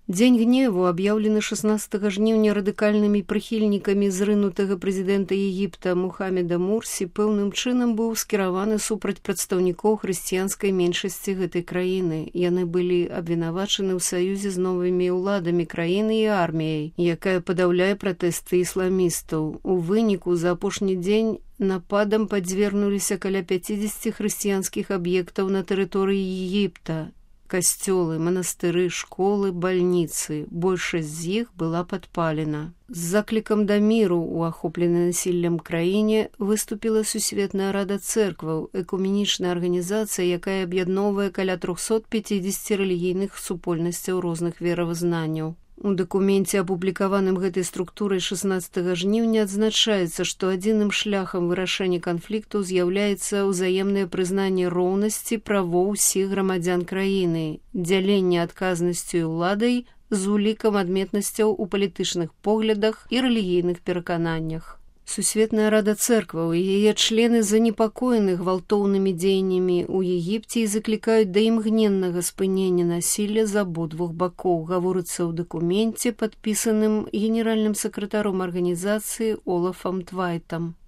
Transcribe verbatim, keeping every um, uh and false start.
Дзень гневу аб'яўлены шаснаццатага жніўня радыкальнымі прыхільнікамі зрынутага прэзідэнта Егіпта Мухаммеда Мурсі пэўным чынам быў скіраваны супраць прадстаўнікоў хрысціянскай меншасці гэтай краіны. Яны былі абвінавачаны ў саюзе з новымі ўладамі краіны і арміяй, якая падаўляе пратэсты ісламістаў. У выніку за апошні дзень нападам падзвергнуліся каля пяцідзесяці хрысціянскіх аб'ектаў на тэрыторыі Егіпта. Касцёлы, манастыры, школы, бальніцы. Большасць з іх была падпалена. З заклікам да міру ў ахопленай насіллем краіне выступіла Сусветная рада цэркваў, экуменічная арганізацыя, якая аб'ядноўвае каля трохсот пяцідзесяці рэлігійных супольнасцяў розных веравызнанняў. У дакуменце, апублікаваным гэтай структурай шаснаццатага жніўня, адзначаецца, што адзіным шляхам вырашэння канфлікту з'яўляецца ўзаемнае прызнанне роўнасці правоў усіх грамадзян краіны, дзяленне адказнасцю уладай з улікам адметнасцяў у палітычных поглядах і рэлігійных перакананнях. Сусветная рада цэркваў і яе члены занепакоены гвалтоўнымі дзеяннямі ў Егіпце і заклікаюць да імгненнага спынення насілля з абодвух бакоў, гаворыцца ў дакуменце, падпісаным генеральным сакратаром арганізацыі Олафам Твайтам.